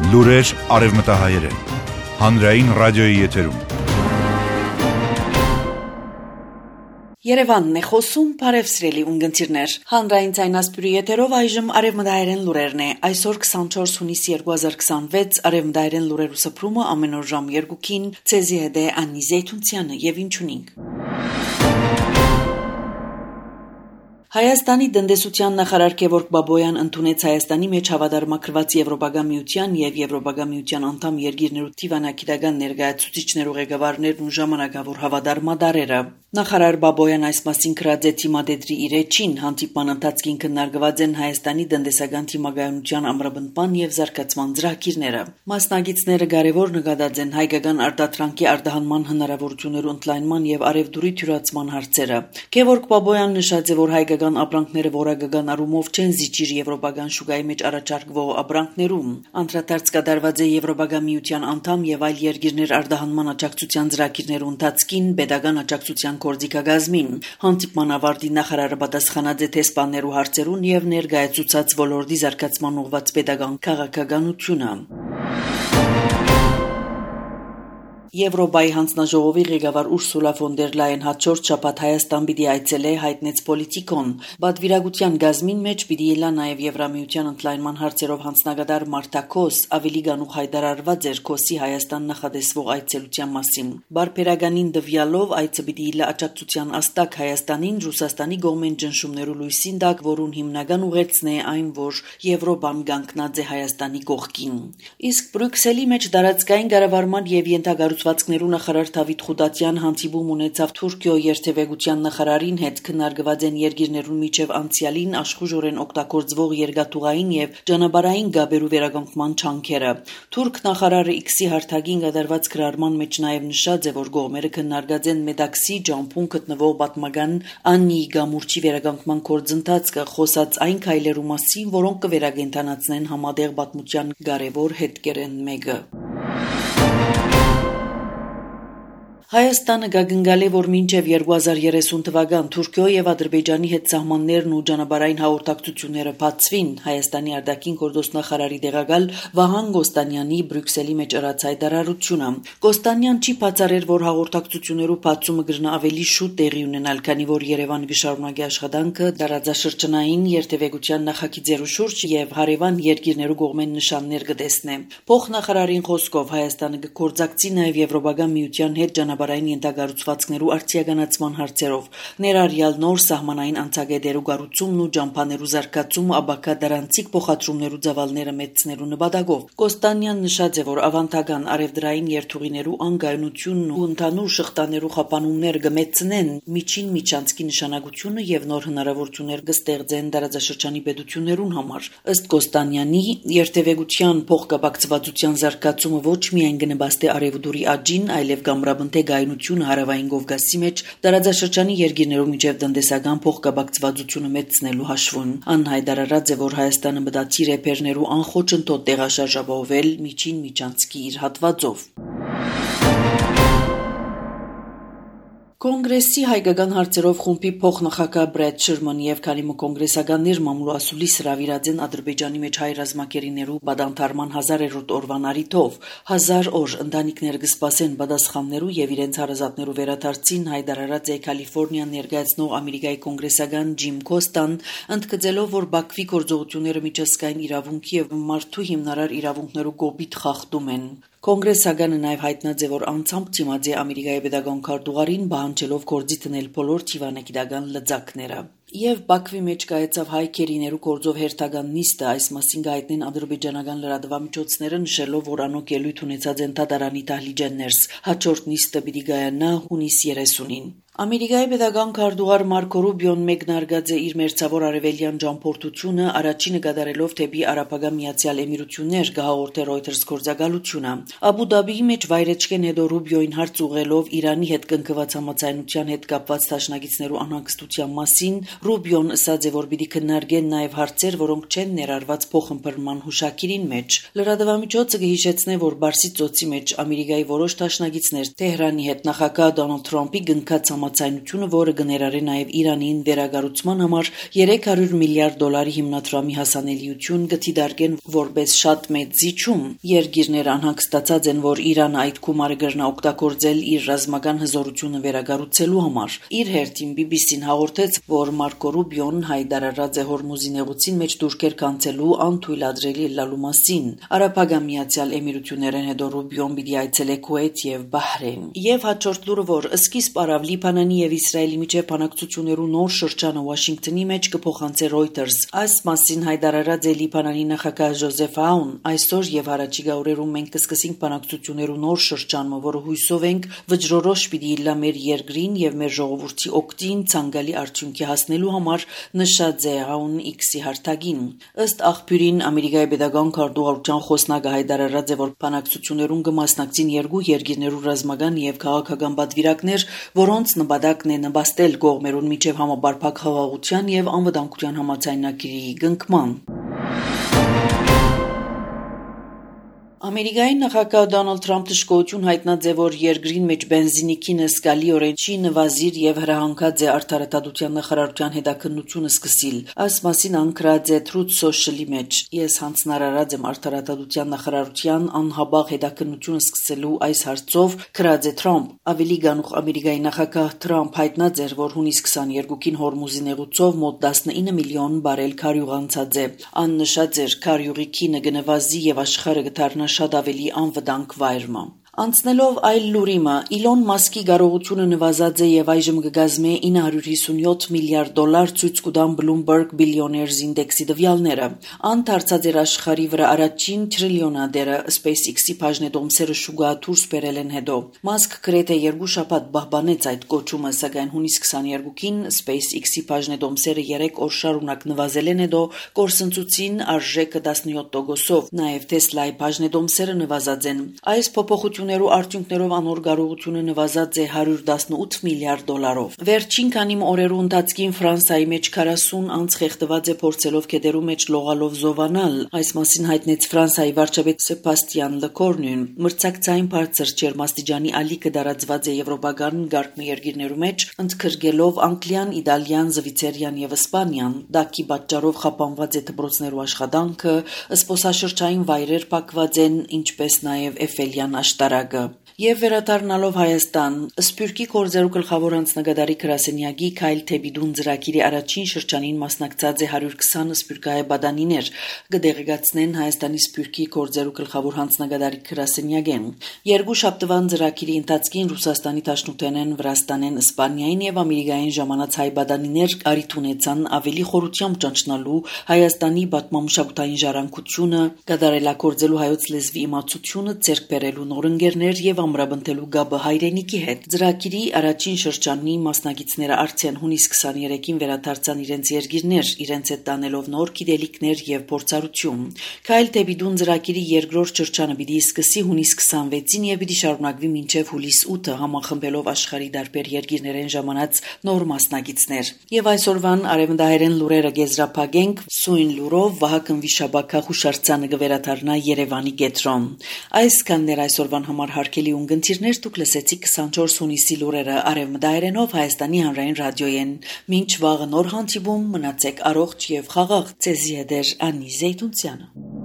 Լուրեր արևմտահայերեն, հանրային ռադիոյի եթերում։ Երևանն է խոսում, բարևսրելի ունգընտիրներ։ Հանրային ցայնասպյուրի եթերով այժմ արևմտահայերեն լուրերն է։ Այսօր 24 հունիս 2026 արևմտահայերեն լուրերու սփռումը ամեն օր ժամ 2-ին ցեզի հետ է Անի Զեյթունցյանը եւ ինչունինք։ Հայաստանի տնտեսության նախարար Գևորգ Բաբոյան ընդունեց Հայաստանի մեջ հավատարմագրված Եվրոպական միության եւ Եվրոպական միության անդամ երկիրներու դիվանագիտական ներկայացուցիչներու ղեկավարներն ու ժամանակավոր հավատարմադարերը։ Նախարար Բաբոյան այս մասին գրած է թիմադեդրի իր էջին հանդիպման ընթացքին քննարկված են Հայաստանի տնտեսական թիմագայունության ամրապնդման եւ զարգացման ծրագիրները։ Մասնագետները կարևոր նկատած են հայկական արտադրանքի արտահանման հնարավորություններու ընդլայնման եւ արևդուրի թյուրացման հարցերը։ Գևորգ Բաբոյան նշած է, որ հայկական ապրանքները որակական առումով չեն զիջիր եվրոպական շուկայի մեջ առաջարկվող ապրանքներում։ Անդրադարձ կատարված է Եվրոպական միության անդամ եւ այլ երկիրներ արտահանման աջակցության ծրագիրներու ընթացքին պետական աջակցության գործիքագազմին։ Հանդիպման ավարտին նախարարը պատասխանած է տեսփաններու հարցերուն եւ ներկայացուցած ոլորտի զարգացման ուղղված պետական քաղաքականությունը։ Եվրոպայի հանձնաժողովի ղեկավար Ուրսուլա ֆոն դեր Լայեն հաջորդ շաբաթ Հայաստան պիտի այցելե հայտնեց Պոլիտիկոն։ Պատվիրակության գազմին մեջ պիտի ելա նաև Եվրամիության ընդլայնման հարցերով հանձնագետար Մարտա Քոս, ավելի գանուխ հայտարարված էր Քոսի Հայաստան նախադեсվող այցելության մասին։ Բարբերականին դվյալով այցը պիտի ելա աջակցության աստակ Հայաստանին Ռուսաստանի գողմեն ճնշումներու լույսին տակ, որուն հիմնական ուղերձն է այն, որ Եվրոպան կանգնած է Հայաստանի կողքին։ Իսկ Բրյուսելի մեջ տարածքային կառավարման եւ ենթակառուցվածքներու նախարար Դավիթ Խուդատյան հանդիպում ունեցավ Թուրքիո երթևեկության նախարարին հետ քննարկված են երկիրներուն միջև անցյալին աշխուժորեն օգտագործվող երկաթուղային եւ ճանապարհային գաբերու վերականգնման չանքերը։ Թուրք նախարարը X-ի հարթակին կատարված գրառման մեջ նաեւ նշած է, որ կողմերը քննարկած են Մեդաքսի ջամփուն գտնվող պատմական Աննի գամուրջի վերականգնման գործընթացը, խոսած այն քայլերու մասին, որոնք կվերակենդանացնեն համատեղ պատմության կարևոր հետքերեն մեկը։ Հայաստանը գագնգալ է, որ մինչև 2030 թվական Թուրքիո եւ Ադրբեջանի հետ սահմաններն ու ճանապարհային հաղորդակցությունները բացվին։ Հայաստանի արտաքին գործոստ նախարարի տեղակալ Վահան Գոստանյանի Բրյուսելի մեջ ըրած հայտարարությունը։ Գոստանյան չի բացառել, որ հաղորդակցություններու բացումը կգնա ավելի շուտ տեղի ունենալ, քանի որ Երևանը կշարունակի աշխատանքը տարածաշրջանային երթևեկության նախագիծերու շուրջ եւ հարևան երկիրներու կողմեն նշաններ կտեսնե։ Փոխնախարարին խոսքով Հայաստանը կգործակցի նաեւ Եվրոպական միության հետ ճանապարհային ենթակառուցվածքներու արդիականացման հարցերով, ներառյալ նոր սահմանային անցագետերու կառուցումն ու ճամփաներու զարգացումը, ապակա դրանցիկ փոխադրումներու ծավալները մեծնելու նպատակով։ Կոստանյան նշած է, որ ավանդական արևդրային երթուղիներու անկայունությունն ու ընդհանուր շղթաներու խափանումները կմեծնեն միջին միջանցքի նշանակությունը եւ նոր հնարավորություններ կստեղծեն տարածաշրջանի պետություններուն համար։ Ըստ Կոստանյանի, երթևեկության փոխկապակցվածության զարգացումը ոչ միայն կնպաստի արևդուրի աճին, այլև կամրապնդի գայունությունը հարավային Կովկասի մեջ տարածաշրջանի երկիրներու միջև տնտեսական փոխկապակցվածությունը մեծնելու հաշվին։ Անհայտարարած է, որ Հայաստանը մտածիր է բեռներու անխոչընդոտ տեղաշարժապահովել միջին միջանցքի իր հատվածով։ Կոնգրեսի հայկական հարցերով խումբի փոխնախագահ Բրեդ Շերմանի եւ քանի կոնգրեսականներ մամուլասուլիս հրավիրած են Ադրբեջանի մեջ հայ ռազմակերիներու բադանթարման 1000-րդ օրվան առիթով 1000 օր ընտանիքներ կսպասեն պատասխաններու եւ իրենց հարազատներու վերադարձին հայտարարած է Կալիֆոռնիան ներկայացնող Ամերիկայի կոնգրեսական Ջիմ Քոստան, ընդգծելով, որ Բաքվի գործողությունները միջազգային իրավունքի եւ մարդու հիմնարար իրավունքներու կոպիտ խախտում են։ Կոնգրեսականը նաև հայտնած է, որ անցամբ դիմաց է Ամերիկայի պետական քարտուղարին պահանջելով գործի դնել բոլոր դիվանագիտական լծակները։ Եվ Բաքվի մեջ կայացավ հայ քերիներու գործով հերթական նիստը, այս մասին կհայտնեն ադրբեջանական լրատվամիջոցները, նշելով, որ անոք ելույթ ունեցած են դատարանի դահլիճներս։ Հաջորդ նիստը պիտի կայանա հունիս 30-ին։ Ամերիկայի պետական քարտուղար Մարկո Ռուբիոն մեկնարկած է իր մերձավոր արևելյան ճամփորդությունը առաջինը կատարելով դեպի Արաբական Միացյալ Էմիրություններ, կհաղորդե Reuters գործակալությունը։ Աբու Դաբիի մեջ վայրեջքեն հետո Ռուբիոին հարց ուղղելով Իրանի հետ կնքված համաձայնության հետ կապված դաշնակիցներու անհանգստության մասին, Ռուբիոն ասաց է, որ պիտի քննարկեն նաև հարցեր, որոնք չեն ներառված փոխըմբռնման հուշագիրին մեջ։ Լրատվամիջոցը կհիշեցնե, որ Բարսից ծոցի մեջ Ամերիկայի որոշ դաշնակիցներ Թեհրանի հետ նախագահ Դոնալդ Թրամփի գնքած համաձայնությունը, որը կներառե նաև Իրանին վերագառուցման համար $300 միլիարդ հիմնադրամի հասանելիություն կդիտարկեն որպես շատ մեծ զիջում։ Երկիրները անհանգստացած են, որ Իրանը այդ գումարը կրնա օգտագործել իր ռազմական հզորությունը վերագառուցելու համար։ Իր հերթին BBC-ն հաղորդեց, որ Մարկո Ռուբիոն հայտարարած է Հորմուզի նեղուցին մեջ դուրքեր կանցելու անթույլատրելի լալու մասին։ Արաբական Միացյալ Էմիրություններն հետո Ռուբիոն պիտի այցելե Քուվեյթ եւ Բահրեյն։ Եվ հաջորդ լուրը, որ սկիզբ արավ Լիբանանի եւ Իսրայելի միջև բանակցություններու նոր շրջանը Վաշինգտոնի մեջ կփոխանցե Reuters։ Այս մասին հայտարարած է Լիբանանի նախագահ Ջոզեֆ Աուն։ Այսօր եւ առաջիկա օրերում մենք կսկսենք բանակցություններու նոր շրջանը, որը հույսով ենք վճռորոշ պիտի լա մեր երկրին եւ մեր ժողովրդի օգտին ցանկալի արդյունքի հասնելու համար, նշած է Աուն X-ի հարթակին։ Ըստ աղբյուրին Ամերիկայի պետական քարտուղարության խոսնակը հայտարարած է, որ բանակցություններուն կմասնակցին երկու երկիրներու ռազմական եւ քաղաքական պատվիրակներ, որոնց նպատակն է նպաստել կողմերուն միջև համապարփակ խաղաղության եւ անվտանգության համաձայնագրի կնքման։ Ամերիկայի նախագահ Դոնալդ Թրամփը շքոյություն հայտնած է, որ երկրին մեջ բենզինի քինը զգալիորեն չի նվազիր եւ հրահանգած է արդարադատության նախարարության հետաքննությունը սկսիլ։ Այս մասին անկրած է Truth Social-ի մեջ։ Ես հանձնարարած եմ արդարադատության նախարարության անհաբաղ հետաքննությունը սկսելու այս հարցով, գրած է Թրամփ։ Ավելի գանուխ Ամերիկայի նախագահ Թրամփ հայտնած էր, որ հունիս 22-ին Հորմուզի նեղուցով մոտ 19 միլիոն բարել քարյուղ անցած է։ Ան նշած էր, քարյուղի քինը կնվազի եւ աշխարհը կդառնա շատ ավելի անվտանգ վայրը։ Անցնելով այլ լուրիմը, Իլոն Մասկի կարողությունը նվազած է եւ այժմ կգազմե $957 միլիարդ ցույց կտան Bloomberg Billionaires Index-ի տվյալները։ Ան դարձած էր աշխարհի վրա առաջին տրիլիոնադերը SpaceX-ի բաժնետոմսերը շուկա դուրս բերել են հետո։ Մասկ գրեթե 2 շաբաթ պահպանեց այդ կոչումը, սակայն հունիս 22-ին SpaceX-ի բաժնետոմսերը 3 օր շարունակ նվազել են հետո կորսնցուցին արժեքը 17%-ով։ Նաեւ Tesla-ի բաժնետոմսերը նվազած են։ Այս փոփոխություններու արդյունքներով անոր կարողությունը նվազած է $118 միլիարդ։ Վերջին քանի օրերու ընթացքին Ֆրանսիայի մեջ 40 անց խեղդված է փորձելով քեդերու մեջ լողալով զովանալ։ Այս մասին հայտնեց Ֆրանսիայի վարչապետ Սեբաստիան Լեկորնուն։ Մրցակցային բարձր ջերմաստիճանի ալիքը դարածված է եվրոպական երկիրներու մեջ, ընդգրկելով Անգլիան, Իտալիան, Զվիցերիան եւ Իսպանիան։ Դակի պատճառով խափանված է դպրոցներու աշխատանքը, զբոսաշրջային վայրեր փակված են, ինչպես նաեւ Էֆելյան աշտարակը։ Եվ վերադառնալով Հայաստան, Սփյուռքի գործերու գլխավոր անձնագետարի գրասենյակի Քայլ Թեբիդուն ծրագիրի առաջին շրջանին մասնակցած է 120 սփյուռքահայ բադանիներ, կդեղեկացնեն Հայաստանի Սփյուռքի գործերու գլխավոր անձնագետարի գրասենյակեն։ Երկու շաբթվան ծրագիրի ընթացքին Ռուսաստանի Դաշնութենեն, Վրաստանեն, Իսպանիային եւ Ամերիկային ժամանած հայ բադանիներ արիթ ունեցան ավելի խորությամբ ճանչնալու Հայաստանի պատմամշակութային ժառանգությունը, կատարելագործելու հայոց լեզվի իմացությունը, ձեռք բերելու նոր ընկերներ եւ ամրապնդելու գաբը հայրենիքի հետ։ Ծրագիրի առաջին շրջանի մասնակիցները արդեն հունիս 23-ին վերադարձան իրենց երկիրներ, իրենց հետ տանելով նոր գիտելիքներ եւ փորձառություն։ Քայլ Թեբիդուն ծրագիրի երկրորդ շրջանը պիտի սկսի հունիս 26-ին եւ պիտի շարունակվի մինչեւ հուլիս 8-ը, համախմբելով աշխարհի տարբեր երկիրներեն ժամանած նոր մասնակիցներ։ Եվ այսօրվան արևմտահայերեն լուրերը գեզրափակենք սույն լուրով Վահագն Վիշապակա հուշարձանը կվերադառնա Երևանի կենտրոն։ Այսքաններ այսօրվան համար հարգելի ունգընտիրներ, դուք լսեցիք 24 հունիսի լուրերը արևմտահայերենով Հայաստանի հանրային ռադիոյեն։ Մինչ վաղը նոր հանդիպում, մնացեք առողջ եւ խաղաղ։ Ձեզի հետ է Անի Զեյթունցյանը։